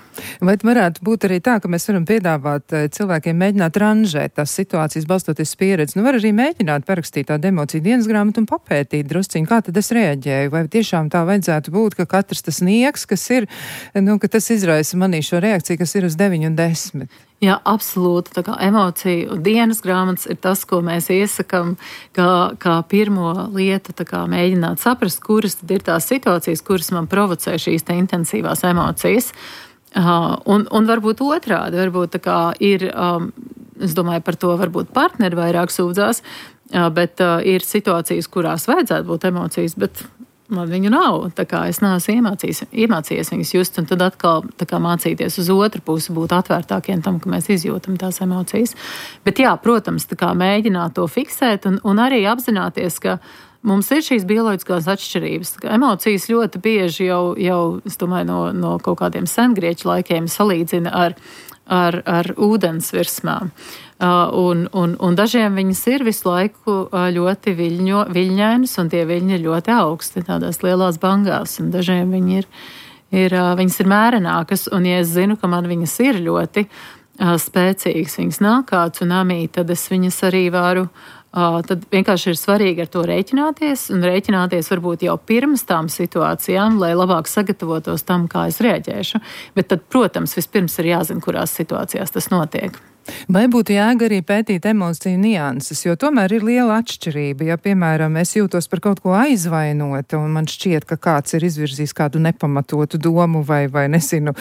Vai varētu būt arī tā, ka mēs varam piedāvāt cilvēkiem mēģināt ranžēt tās situācijas, balstoties pieredzi? Var arī mēģināt parakstīt tādu emociju dienas grāmatu un papētīt drusciņu, kā tad es reaģēju, vai tiešām tā vajadzētu būt, ka katrs tas nieks, kas ir, ka tas izraisa manī šo reakciju, kas ir uz 9 un 10. Jā, absolūti. Tā kā emociju dienas grāmatas ir tas, ko mēs iesakam kā pirmo lietu, tā kā mēģināt saprast, kuras tad ir tās situācijas, kuras man provocē šīs te intensīvās emocijas. Un varbūt otrādi, varbūt tā kā ir, es domāju, par to varbūt partneri vairāk sūdzās, bet ir situācijas, kurās vajadzētu būt emocijas, bet man viņu nav, tā kā es neesmu iemācījies viņas just, un tad atkal tā kā mācīties uz otru pusi, būt atvērtākiem tam, ka mēs izjūtam tās emocijas. Bet jā, protams, tā kā mēģināt to fiksēt un arī apzināties, ka mums ir šīs bioloģiskās atšķirības. Emocijas ļoti bieži jau es domāju, no kaut kādiem sengrieķu laikiem salīdzina ar ūdens virsmām. Un dažiem viņas ir visu laiku ļoti viļņainas, un tie viļņi ir ļoti augsti, tādās lielās bangās, un dažiem viņas ir mērenākas, un ja es zinu, ka man viņas ir ļoti spēcīgas, viņas nāk kāds un amī, tad es viņas arī varu, tad vienkārši ir svarīgi ar to rēķināties, un rēķināties varbūt jau pirms tām situācijām, lai labāk sagatavotos tam, kā es reaģēšu. Bet tad, protams, vispirms ir jāzina, kurās situācijās tas notiek. Vai būtu jēga arī pētīt emociju nianses, jo tomēr ir liela atšķirība. Ja, piemēram, es jūtos par kaut ko aizvainota, un man šķiet, ka kāds ir izvirzījis kādu nepamatotu domu vai nesinu,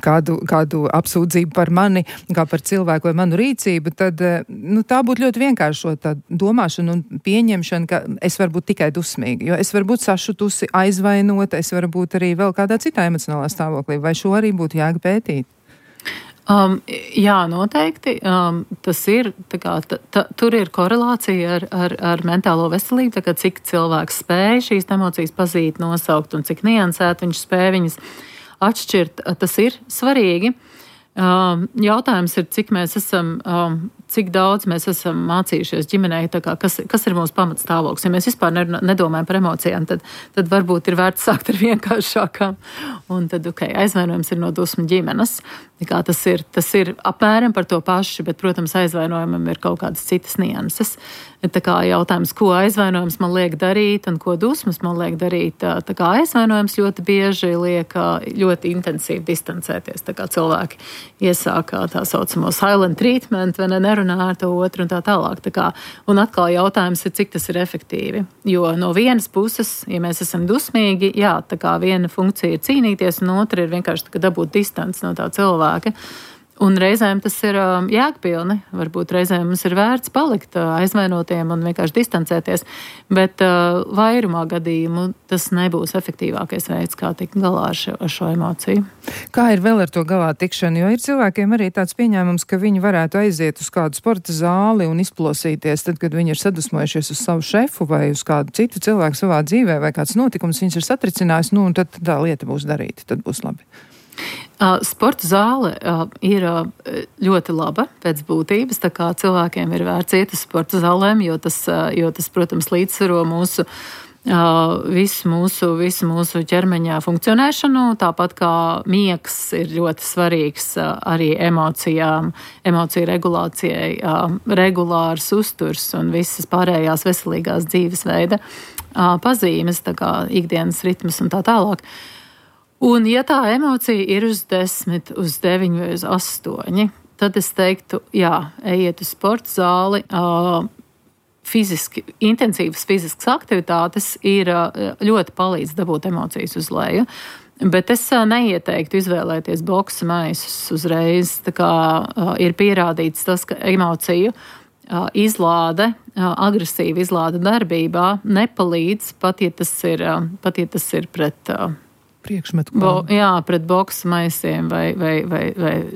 kādu apsūdzību par mani, kā par cilvēku vai manu rīcību, tad tā būtu ļoti vienkāršota domāšana un pieņemšana, ka es varu būt tikai dusmīga, jo es varu būt sašutusi, aizvainota, es varu būt arī vēl kādā citā emocionālā stāvoklī. Vai šo arī būtu jēga pētīt? Jā, noteikti. Tas ir, tur ir korelācija ar mentālo veselību, tā kā cik cilvēks spēj šīs emocijas pazīt, nosaukt un cik niansēt viņš spēj viņas atšķirt. Tas ir svarīgi. Jautājums ir, cik daudz mēs esam mācījušies ģimenē, kas ir mūsu pamatstāvoklis. Ja mēs vispār nedomājam par emocijām, tad varbūt ir vērts sākt ar vienkāršākām. Un tad, aizvainojums ir no dusmu ģimenes. Tas ir apmēram par to paši, bet, protams, aizvainojumam ir kaut kādas citas nianses. Jautājums, ko aizvainojums man liek darīt un ko dusmas man liek darīt. Aizvainojums ļoti bieži liek ļoti intensīvi distancēties. Cilvēki iesāka tā saucamo silent treatment, vai nerunā ar to otru un tā tālāk. Un atkal jautājums ir, cik tas ir efektīvi. Jo no vienas puses, ja mēs esam dusmīgi, jā, viena funkcija ir cīnīties, un otra ir vienkārši dabūt distanci no tā cilvēka. Un reizēm tas ir jēgpilni. Varbūt reizēm mums ir vērts palikt aizvainotiem un vienkārši distancēties, bet vairumā gadījumu tas nebūs efektīvākais veids, kā tikt galā ar šo emociju. Kā ir vēl ar to galā tikšanu? Jo ir cilvēkiem arī tāds pieņēmums, ka viņi varētu aiziet uz kādu sporta zāli un izplosīties, tad, kad viņi ir sadusmojušies uz savu šefu vai uz kādu citu cilvēku savā dzīvē, vai kāds notikums viņus ir satricinājis, un tad tā lieta būs darīta, tad būs labi. Sporta zāle ir ļoti laba pēc būtības, tā kā cilvēkiem ir vērts iet uz sporta zālēm, jo tas, protams, līdzsvaro mūsu visu mūsu ķermeņa funkcionēšanu, tāpat kā miegs ir ļoti svarīgs arī emociju regulācijai, regulārs uzturs un visas pārējās veselīgās dzīvesveida pazīmes, tā kā ikdienas ritmas un tā tālāk. Un ja tā emocija ir uz 10, uz 9 vai uz 8, tad es teiktu, jā, ejiet uz sporta zāli, intensīvas fiziskas aktivitātes ir ļoti palīdz dabūt emocijas uz leju. Bet es neieteiktu izvēlēties boksa maisus uzreiz. Tā kā ir pierādīts tas, ka emociju izlāde, agresīva izlāde darbībā nepalīdz, pat ja tas ir pret pret boksa maisiem vai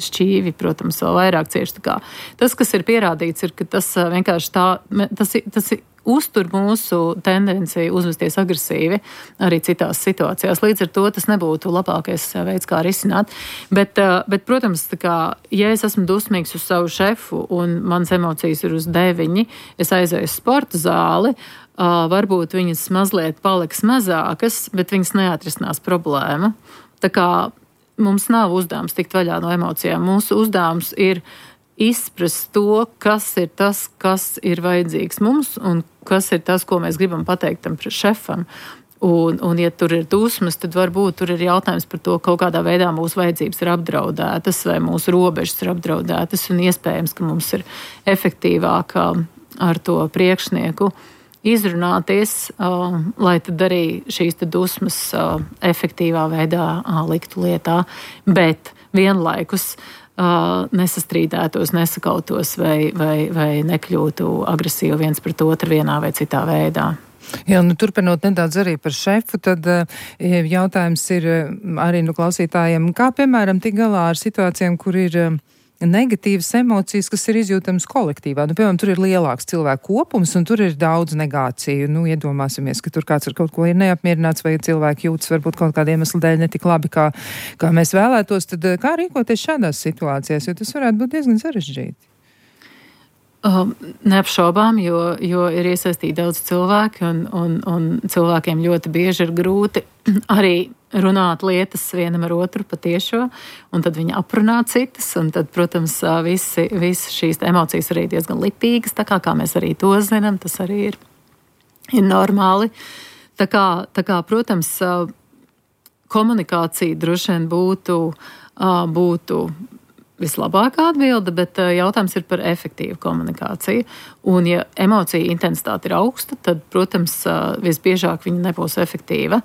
šķīvi, protams, vēl vairāk cieši. Tas, kas ir pierādīts, ir, ka tas vienkārši tas uztur mūsu tendenciju uzvesties agresīvi arī citās situācijās. Līdz ar to tas nebūtu labākais veids, kā risināt. Bet protams, ja es esmu dusmīgs uz savu šefu un manas emocijas ir uz 9, es aizēju uz sporta zāli, varbūt viņas mazliet paliks mazākas, bet viņas neatrisinās problēmu. Tā kā mums nav uzdevums tikt vaļā no emocijām. Mūsu uzdevums ir izprast to, kas ir tas, kas ir vajadzīgs mums un kas ir tas, ko mēs gribam pateikt tam šefam. Un ja tur ir dusmas, tad varbūt tur ir jautājums par to, kaut kādā veidā mūsu vajadzības ir apdraudētas vai mūsu robežas ir apdraudētas un iespējams, ka mums ir efektīvāk ar to priekšnieku izrunāties, lai tad arī šīs dusmas efektīvā veidā liktu lietā, bet vienlaikus nesastrīdētos, nesakautos vai nekļūtu agresīvi viens pret otru vienā vai citā veidā. Jā, turpinot nedaudz arī par šefu, tad jautājums ir arī klausītājiem, kā piemēram tik galā ar situācijām, kur ir negatīvas emocijas, kas ir izjūtamas kolektīvā. Piemēram, tur ir lielāks cilvēku kopums un tur ir daudz negāciju. Iedomāsimies, ka tur kāds ar kaut ko ir neapmierināts vai cilvēki jūtas varbūt kaut kāda iemesla dēļ netik labi, kā mēs vēlētos. Tad kā rīkoties šādās situācijās, jo tas varētu būt diezgan sarežģīti? Neapšaubām, jo ir iesaistīti daudz cilvēki un cilvēkiem ļoti bieži ir grūti arī runāt lietas vienam ar otru patiešo, un tad viņi aprunā citas, un tad, protams, visi šīs emocijas arī diezgan lipīgas, tā kā mēs arī to zinām, tas arī ir normāli. Tā kā, protams, komunikācija droši vien būtu vislabākā atbilde, bet jautājums ir par efektīvu komunikāciju. Un, ja emocija intensitāte ir augsta, tad, protams, visbiežāk viņa nebūs efektīva.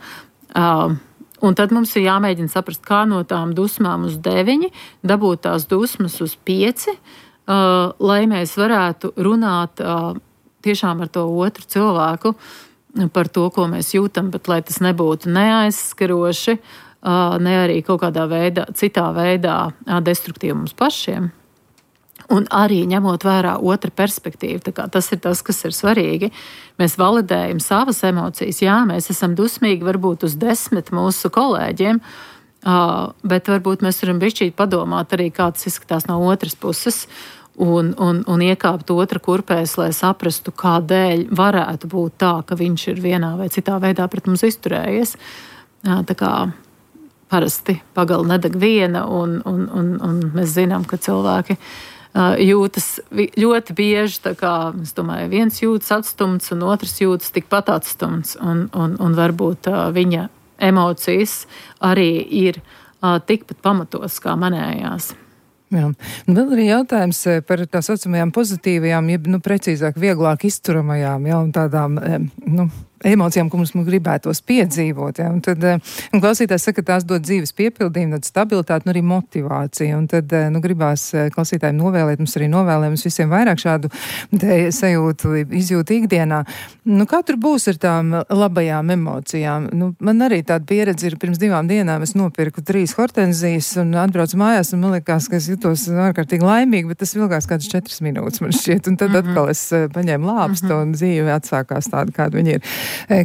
Un tad mums ir jāmēģina saprast, kā no tām dusmām uz 9 dabūt tās dusmas uz 5, lai mēs varētu runāt tiešām ar to otru cilvēku par to, ko mēs jūtam, bet lai tas nebūtu neaizskaroši, ne arī kaut kādā citā veidā destruktīvi mums pašiem. Un arī ņemot vērā otra perspektīvu, tas ir tas, kas ir svarīgi. Mēs validējam savas emocijas. Jā, mēs esam dusmīgi varbūt uz 10 mūsu kolēģiem, bet varbūt mēs varam bišķīt padomāt arī, kā tas izskatās no otras puses un iekāpt otra kurpēs, lai saprastu, kādēļ varētu būt tā, ka viņš ir vienā vai citā veidā pret mums izturējies. Tā kā parasti pagala nedeg viena un mēs zinām, ka cilvēki jūtas ļoti bieži, tā kā, es domāju, viens jūtas atstumts un otrs jūtas tikpat atstumts un varbūt viņa emocijas arī ir tikpat pamatotas kā manējās. Jā. Vēl arī jautājums par tā saucamajām pozitīvajām, precīzāk, vieglāk izturamajām, un tādām, emocijām, ko mums gribētos piedzīvot. Ja? Un tad klausītājs saka, ka tās dod dzīves piepildījumu, tad stabilitāti un arī motivāciju. Un tad gribās klausītājiem novēlēt, mums arī novēlējums visiem vairāk šādu sajūtu, izjūtu ikdienā. Kā tur būs ar tām labajām emocijām? Man arī tāda pieredze ir, pirms 2 dienām es nopirku 3 hortenzijas un atbraucu mājās un man likās, ka es jutos ārkārtīgi laimīgi, bet tas vilkās kādas 4 minūtes man šķiet. Un tad atkal es paņēmu lāpstu un dzīve atsākās tāda, kāda viņa ir.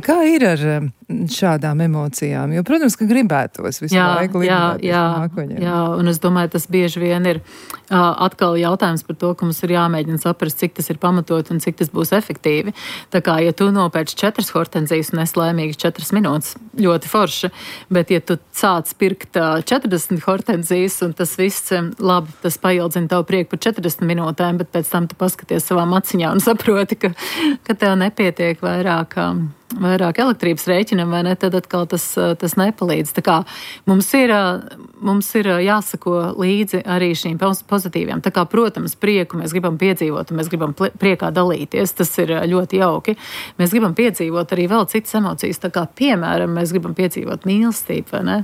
Kā ir ar šādām emocijām? Jo, protams, ka gribētos visu laiku mākoņiem. Jā, un es domāju, tas bieži vien ir atkal jautājums par to, ka mums ir jāmēģina saprast, cik tas ir pamatot un cik tas būs efektīvi. Tā kā, ja tu nopērci 4 hortenzijas un esi laimīgs 4 minūtes, ļoti forši, bet ja tu sāc pirkt 40 hortenzijas un tas viss, labi, tas paildzina tavu prieku par 40 minūtēm, bet pēc tam tu paskaties savām aciņām un saproti, ka tev nepietiek vairāk elektrības rēķinam, vai ne, tad atkal tas nepalīdz. Tā kā mums ir jāsako līdzi arī šīm pozitīvām. Tā kā, protams, prieku mēs gribam piedzīvot, un mēs gribam priekā dalīties, tas ir ļoti jauki. Mēs gribam piedzīvot arī vēl citas emocijas, tā kā, piemēram, mēs gribam piedzīvot mīlestību, vai ne?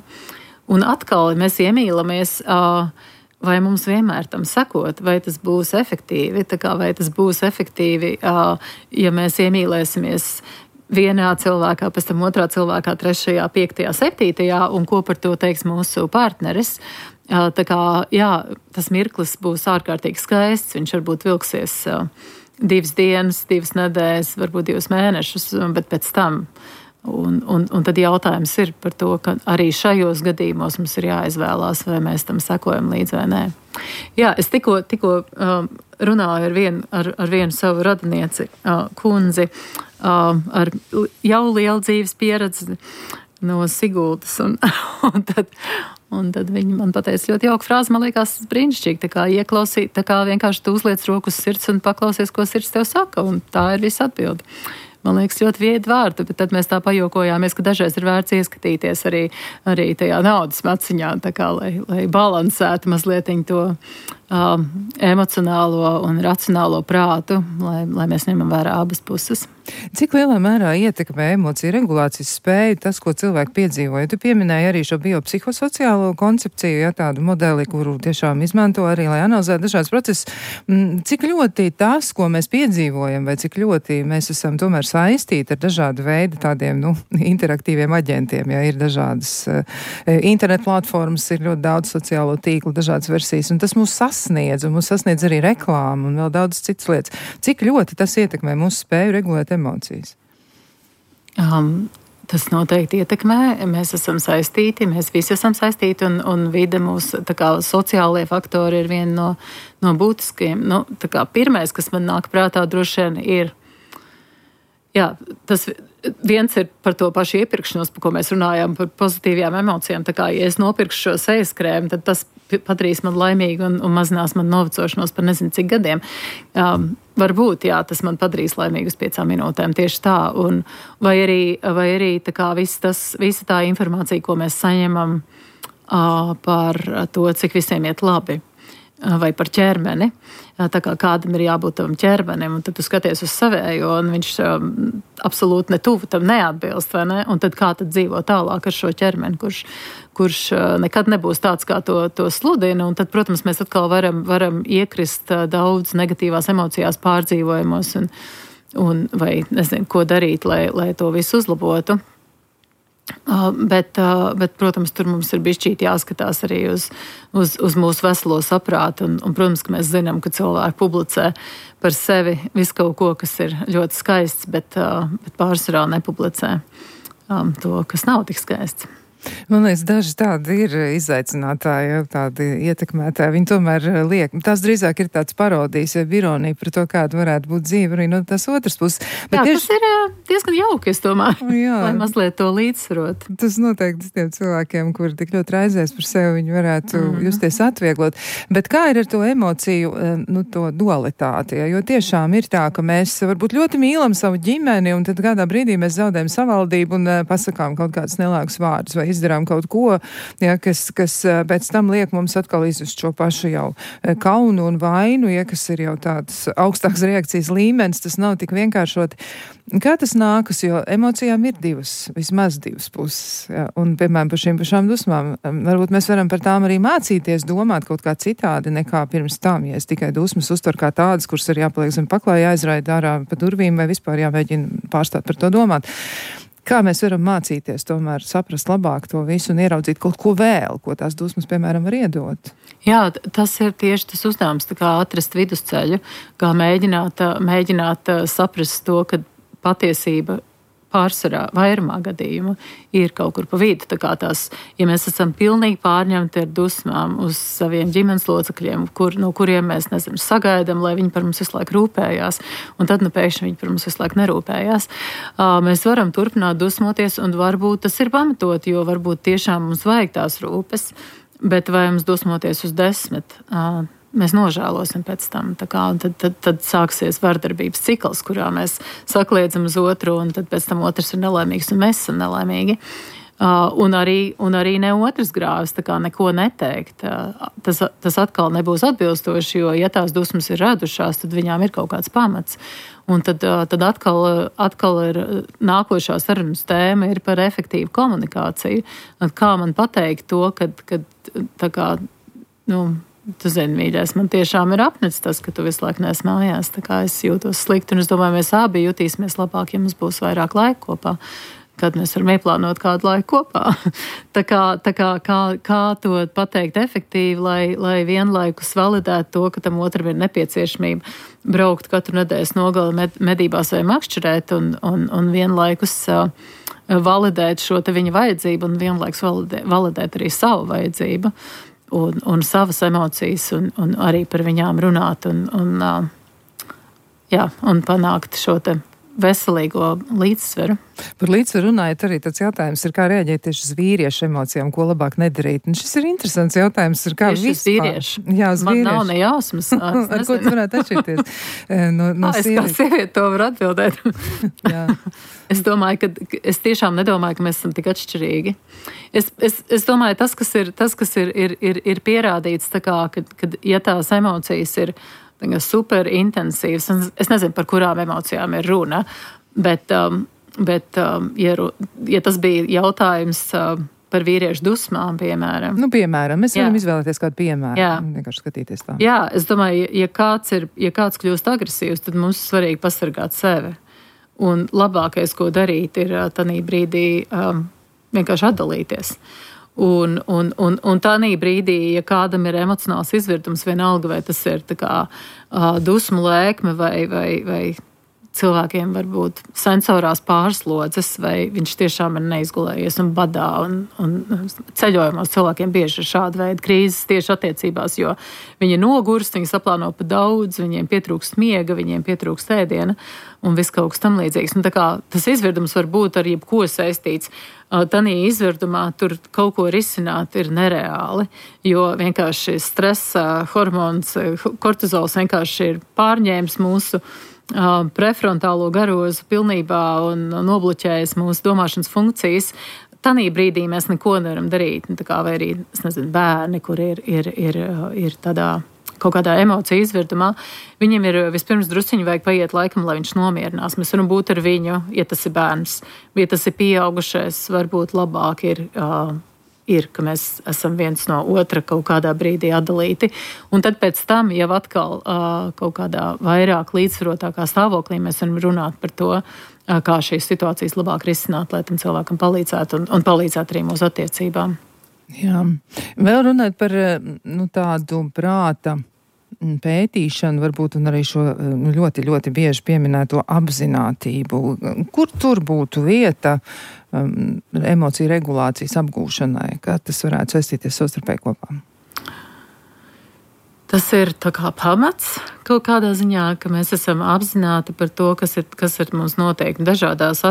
Un atkal mēs iemīlamies, vai mums vienmēr tam sakot, vai tas būs efektīvi, tā kā vai tas būs efektīvi, ja mēs iemīlēsimies vienā cilvēkā, pēc tam otrā cilvēkā, 3., 5., 7. un ko par to teiks mūsu partneris. Tā kā, jā, tas mirklis būs ārkārtīgi skaists, viņš varbūt vilksies 2 dienas, 2 nedēļas, varbūt 2 mēnešus, bet pēc tam. Un tad jautājums ir par to, ka arī šajos gadījumos mums ir jāizvēlās, vai mēs tam sekojam līdzi vai nē. Jā, es tikko runāju ar vienu savu radinieci, kundzi, ar jau lielu dzīves pieredzi no Sigultas, un tad viņi man pateica ļoti jauku frāzi, man liekas, brīnišķīgi, tā kā ieklausīt, tā kā vienkārši tu uzliec roku uz sirds un paklausies, ko sirds tev saka, un tā ir visa atbilde. Man liekas, ļoti viedi vārdi, bet tad mēs tā pajokojāmies, ka dažreiz ir vērts ieskatīties arī tajā naudas maciņā, tā kā, lai balansētu mazliet to emocionālo un racionālo prātu, lai mēs ņemam vērā abas puses. Cik lielā mērā ietekmē emociju regulācijas spēju tas, ko cilvēki piedzīvoja? Tu pieminēji arī šo biopsihosociālo koncepciju, ja tādu modeli, kuru tiešām izmanto arī, lai analizētu dažādas procesus. Cik ļoti tas, ko mēs piedzīvojam, vai cik ļoti mēs esam tomēr saistīti ar dažādu veidu tādiem, interaktīviem aģentiem, ja ir dažādas internet platformas, ir ļoti daudz sociālo tīklu, dažādas versijas, un tas mūs sasniedz, un mūs sasniedz arī reklāma un vēl daudz citas lietas. Cik ļoti tas ietekmē mūsu spēju regulēt emocijas? Tas noteikti ietekmē. Mēs esam saistīti, mēs visi esam saistīti, un vide mūsu, tā kā sociālie faktori ir viena no būtiskiem. Tā kā pirmais, kas man nāk prātā, droši vien ir, jā, tas viens ir par to pašu iepirkšanos, par ko mēs runājām, par pozitīvajām emocijām. Tā kā, ja es nopirkšu šo sejas krēmu, tad tas padarīs man laimīgu un mazinās man novecošanos par nezinu cik gadiem. Varbūt, jā, tas man padarīs laimīgu uz 5 minūtēm, tieši tā. Vai arī tā kā visa tā informācija, ko mēs saņemam par to, cik visiem iet labi. Vai par ķermeni, tā kā kādam ir jābūt tavam ķermenim, un tad tu skaties uz savējo, un viņš absolūti netuvu tam neatbilst, vai ne? Un tad kā tad dzīvo tālāk ar šo ķermeni, kurš nekad nebūs tāds, kā to sludina, un tad, protams, mēs atkal varam iekrist daudz negatīvās emocijās pārdzīvojumos, un vai nezinu, ko darīt, lai to visu uzlabotu. Bet, protams, tur mums ir bišķīt jāskatās arī uz mūsu veselo saprātu, un, protams, ka mēs zinām, ka cilvēki publicē par sevi visu kaut ko, kas ir ļoti skaists, bet pārsvarā nepublicē to, kas nav tik skaists. Man liekas, daži tādi ir izaicinātāji, tādi ietekmētāji. Viņi tomēr liek. Tas drīzāk ir tāds parodijas, ironija par to, kāda varētu būt dzīve arī no tās otras puses. Bet jā, tas ir diezgan jauki, es domāju, lai mazliet to līdzsvarot. Tas noteikti tiem cilvēkiem, kuri tik ļoti raizēs par sevi, viņi varētu justies atvieglot. Bet kā ir ar to emociju, to dualitāti? Jo tiešām ir tā, ka mēs varbūt ļoti mīlam savu ģimeni, un tad kādā brīdī mēs zaudējam savaldību un pasakām kaut kādus nelāgus vārdus vai izdarām kaut ko, ja, kas pēc tam liek mums atkal izjust šo pašu jau kaunu un vainu, ja, kas ir jau tāds augstāks reakcijas līmenis, tas nav tik vienkāršoti. Kā tas nākas, jo emocijām ir vismaz divas puses, ja, un, piemēram, par šīm pašām dusmām, varbūt mēs varam par tām arī mācīties domāt kaut kā citādi nekā pirms tam, ja es tikai dusmas uztver kā tādas, kuras ir jāpaliek zem paklāja, jāizraida ārā pa durvīm vai vispār jāmēģina pārstāt par to domāt. Kā mēs varam mācīties tomēr saprast labāk to visu un ieraudzīt kaut ko vēl, ko tās dusmas, piemēram, var iedot? Jā, tas ir tieši tas uzdevums, tā kā atrast vidusceļu, kā mēģināt saprast to, ka patiesība pārsvarā vairumā gadījumu ir kaut kur pa vidu. Tā kā tās, ja mēs esam pilnīgi pārņemti ar dusmām uz saviem ģimenes locekļiem, no kuriem mēs, sagaidām, lai viņi par mums visu laiku rūpējās, un tad, pēkšņi viņi par mums visu laiku nerūpējās. Mēs varam turpināt dusmoties, un varbūt tas ir pamatot, jo varbūt tiešām mums vajag tās rūpes, bet vai mums dusmoties uz 10, mēs nožēlosim pēc tam. Tad sāksies vardarbības cikls, kurā mēs sakliedzam uz otru, un tad pēc tam otrs ir nelaimīgs, un mēs esam nelaimīgi. Un arī ne otrs grāvis, tā kā neko neteikt. Tas atkal nebūs atbilstoši, jo, ja tās dusmas ir radušās, tad viņām ir kaut kāds pamats. Un tad atkal ir nākošā sarunas tēma ir par efektīvu komunikāciju. Kā man pateikt to, kad tā kā, tu zini, mīļais, man tiešām ir apnicis tas, ka tu visu laiku neesi mājās. Tā kā es jūtos slikti, un es domāju, mēs abi jutīsimies labāk, ja mums būs vairāk laika kopā, kad mēs varam ieplānot kādu laiku kopā. Kā to pateikt efektīvi, lai vienlaikus validētu to, ka tam otram ir nepieciešamība braukt katru nedēļas nogali medībās vai makšķerēt, un vienlaikus validēt šo te viņa vajadzību, un vienlaikus validēt arī savu vajadzību. Un savas emocijas, un arī par viņām runāt, un panākt šo te veselīgo līdzsveru. Par līdzsveru runājot, arī tāds jautājums ir, kā rēģēt tieši uz vīriešu emocijām, ko labāk nedarīt. Un šis ir interesants jautājums, ir kā vispār. Jā, uz man vīriešu. Nav ne jausmas. Ar ko tu varētu atšķirties? Es kā sieviete to varu atbildēt. Jā. Es domāju, ka es tiešām nedomāju, ka mēs esam tik atšķirīgi. Es domāju, tas, kas ir pierādīts, tā kā, kad ja tās emocijas ir super intensīvas, es nezinu, par kurām emocijām ir runa, bet ja tas bija jautājums par vīriešu dusmām, piemēram. Mēs varam izvēlēties kādu piemēru. Jā. Vienkārši skatīties tā. Jā, es domāju, ja kāds kļūst agresīvs, tad mums ir svarīgi pasargāt sevi. Un labākais, ko darīt, ir tanī brīdī vienkārši atdalīties. Un tādā brīdī, ja kādam ir emocionāls izvirdums, vienalga, vai tas ir tā kā dusmu lēkme vai cilvēkiem var būt sensorās pārslodzes, vai viņš tiešām ir neizgulējies un badā, un ceļojumos cilvēkiem bieži ir šāda veida krīzes tieši attiecībās, jo viņi nogurst, viņi saplāno pa daudz, viņiem pietrūkst miega, viņiem pietrūkst ēdiena un viss kaut kas tam līdzīgs. Un tā kā tas izvirdums var būt ar jebko saistīts. Tanī izvirdumā tur kaut ko risināt ir nereāli, jo vienkārši stresa hormons, kortizols vienkārši ir pārņēmis mūsu prefrontālo garozu pilnībā un nobloķējis mūsu domāšanas funkcijas. Tanī brīdī mēs neko nevaram darīt. Tā kā vai arī, bērni, kur ir tādā kaut kādā emociju izvirdumā, viņiem ir vispirms drusciņi vajag paiet laikam, lai viņš nomierinās. Mēs varam būt ar viņu, ja tas ir bērns, ja tas ir pieaugušais, varbūt labāk ir, ka mēs esam viens no otra kaut kādā brīdī atdalīti. Un tad pēc tam jau atkal kaut kādā vairāk līdzsvarotākā stāvoklī mēs varam runāt par to, kā šīs situācijas labāk risināt, lai tam cilvēkam palīdzētu un palīdzētu arī mūsu attiecībām. Jā. Vēl runāt par tādu prāta pētīšanu, varbūt, un arī šo ļoti, ļoti bieži pieminēto apzinātību. Kur tur būtu vieta emociju regulācijas apgūšanai? Kā tas varētu saistīties savstarpēji kopā? Tas ir tā kā pamats kaut kādā ziņā, ka mēs esam apzināti par to, kas ir mums noteikti dažādos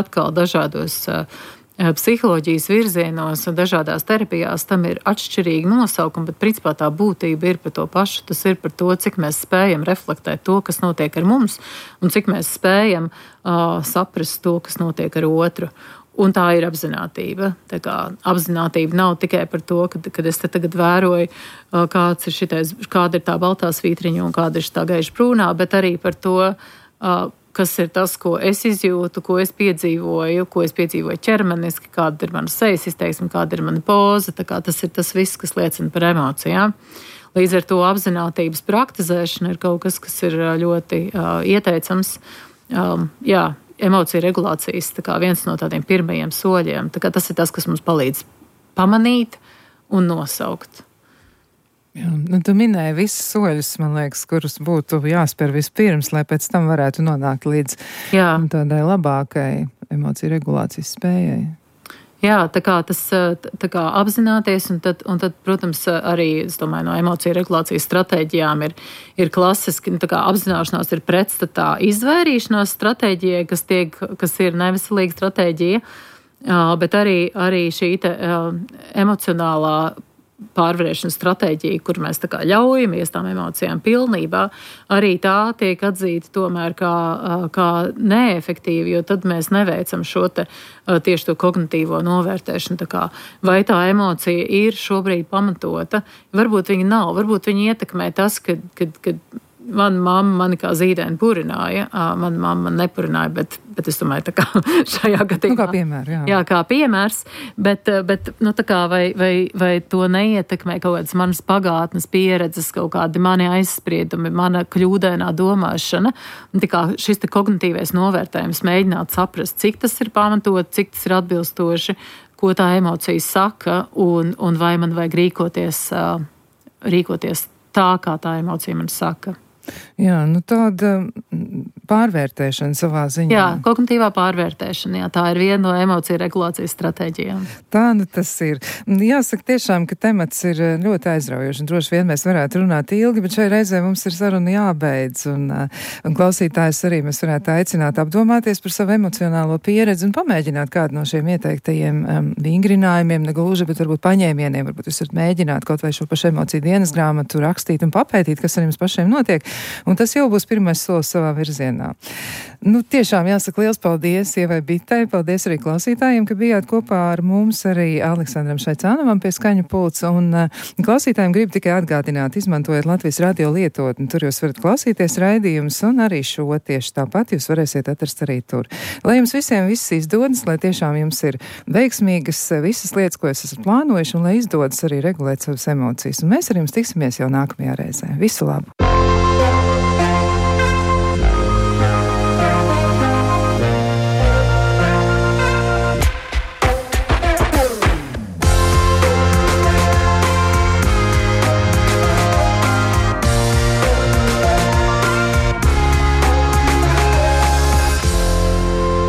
psiholoģijas virzienos un dažādās terapijās. Tam ir atšķirīgi nosaukumi, bet principā tā būtība ir par to pašu. Tas ir par to, cik mēs spējam reflektēt to, kas notiek ar mums, un cik mēs spējam saprast to, kas notiek ar otru. Un tā ir apzinātība. Tā kā apzinātība nav tikai par to, kad es te tagad vēroju, kāda ir tā baltā svītriņa un kāda ir tā gaiša brūnā, bet arī par to, kas ir tas, ko es izjūtu, ko es piedzīvoju ķermeniski, kāda ir mana sejas izteiksme, kāda ir mana poza. Tā kā tas ir tas viss, kas liecina par emocijām. Līdz ar to apzinātības praktizēšana ir kaut kas ir ļoti ieteicams. Emociju regulācijas viens no tādiem pirmajiem soļiem. Tā kā tas ir tas, kas mums palīdz pamanīt un nosaukt. Jā, tu minēji visus soļus, man liekas, kurus būtu jāspēr vispirms, lai pēc tam varētu nonākt līdz tādai labākai emociju regulācijas spējai. Jā, tā kā apzināties, un tad, protams, arī, es domāju, no emociju regulācijas stratēģijām ir klasiski, tā kā apzināšanās ir pretstatā izvairīšanās stratēģijai, kas ir neveselīga stratēģija, bet arī šī emocionālā pārvarēšanas stratēģija, kur mēs tā kā ļaujamies tām emocijām pilnībā, arī tā tiek atzīta tomēr kā neefektīva, jo tad mēs neveicam šo tieši to kognitīvo novērtēšanu. Tā kā, vai tā emocija ir šobrīd pamatota? Varbūt viņa nav, varbūt viņa ietekmē tas, kad mana mamma mani kā zīdēni purināja, mana mamma man nepurināja, bet es domāju, tā kā šajā gadījumā. Kā piemērs, jā. Jā, kā piemērs, bet tā kā vai to neietekmē kaut kādas manas pagātnes pieredzes, kaut kādi mani aizspriedumi, mana kļūdainā domāšana. Tā kā šis kognitīvais novērtējums mēģināt saprast, cik tas ir pamatot, cik tas ir atbilstoši, ko tā emocija saka, un vai man vajag rīkoties tā, kā tā emocija man saka. Jā, tāda pārvērtēšana savā ziņā. Jā, kognitīvā pārvērtēšana, jā, tā ir viena no emociju regulācijas stratēģijām. Tā tas ir. Jāsaka tiešām, ka temats ir ļoti aizraujoši, un droši vien mēs varētu runāt ilgi, bet šai reizē mums ir saruna jābeidz, un klausītājs arī mēs varētu aicināt apdomāties par savu emocionālo pieredzi un pamēģināt kādu no šiem ieteiktajiem vingrinājumiem, negluži, bet varbūt paņēmieniem, varbūt jūs varat mēģināt kaut vai šo pašu emociju dienas grāmatu rakstīt un papētīt, kas ar jums pašiem notiek. Un tas jau būs pirmais solis savā virzienā. Tiešām jāsaka liels paldies Ievai Bitei, paldies arī klausītājiem, ka bijāt kopā ar mums, arī Aleksandram Šaicānovam pie skaņu pults, un klausītājiem gribu tikai atgādināt, izmantojot Latvijas radio lietotni, tur jūs varat klausīties raidījumus, un arī šo tieši tāpat jūs varēsiet atrast arī tur. Lai jums visiem viss izdodas, lai tiešām jums ir veiksmīgas visas lietas, ko jūs esat plānojuši, un lai izdodas arī regulēt savas emocijas. Un mēs ar jums tiksimies jau nākamajā reizē. Visu labu!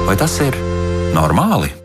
Vai tas ir normāli?